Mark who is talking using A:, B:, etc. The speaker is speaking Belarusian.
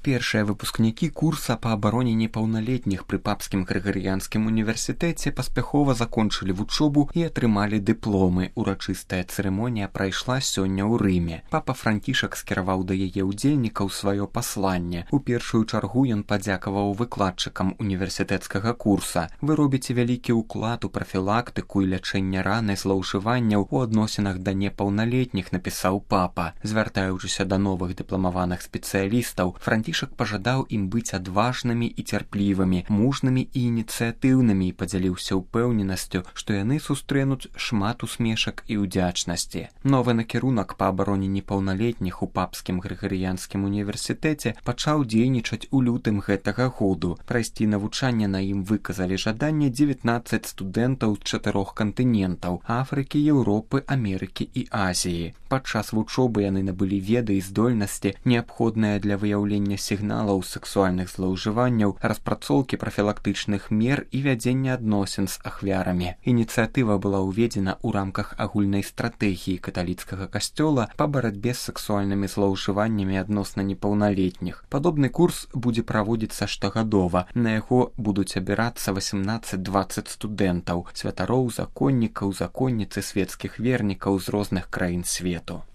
A: Першыя выпускнікі курса па абароне непаўналетніх пры папскім грыгарыянскім універсітэце паспяхова закончылі вучобу і атрымалі дыпломы. Урачыстая цырымонія прайшла сёння ў Рыме. Папа Францішак скіраваў да яе ўдзельнікаў сваё пасланне. У першую чаргу ён падзякаваў выкладчыкам універсітэцкага курса. Вы робіце вялікі ўклад у прафілактыку і лячэнне ран і злоўжыванняў у адносінах да непаўналетніх, напісаў папа. Звяртаючыся да новых дыпламаваных спецыялістаў, Францішак пажадаў ім быць адважнымі і цярплівымі, мужнымі і ініцыятыўнымі і падзяліўся ўпэўненасцю, што яны сустрэнуць шмат усмешак і ўдзячнасці. Новы накірунак па абароне непаўналетніх у папскім грыгарыянскім універсітэце пачаў дзейнічаць у лютым гэтага году. Прайсці навучанне на ім выказалі жаданне 19 студэнтаў з 4 кантынентаў – Афрыкі, Еўропы, Амерыкі і Азіі. Падчас вучобы яны набылі веды і здольнасці, неабходныя для выяўлення сігналаў сексуальных злоўжыванняў, распрацоўкі прафілактычных мер і вядзення адносін з ахвярамі. Ініцыятыва была ўведзена ў рамках агульнай стратэгіі каталіцкага касцёла па барацьбе з сексуальнымі злоўжываннямі адносна непаўналетніх. Падобны курс будзе праводзіцца штогадова. На яго будуць абірацца 18-20 студэнтаў, святароў, законнікаў, законніцы, свецкіх вернікаў з розных краін свету.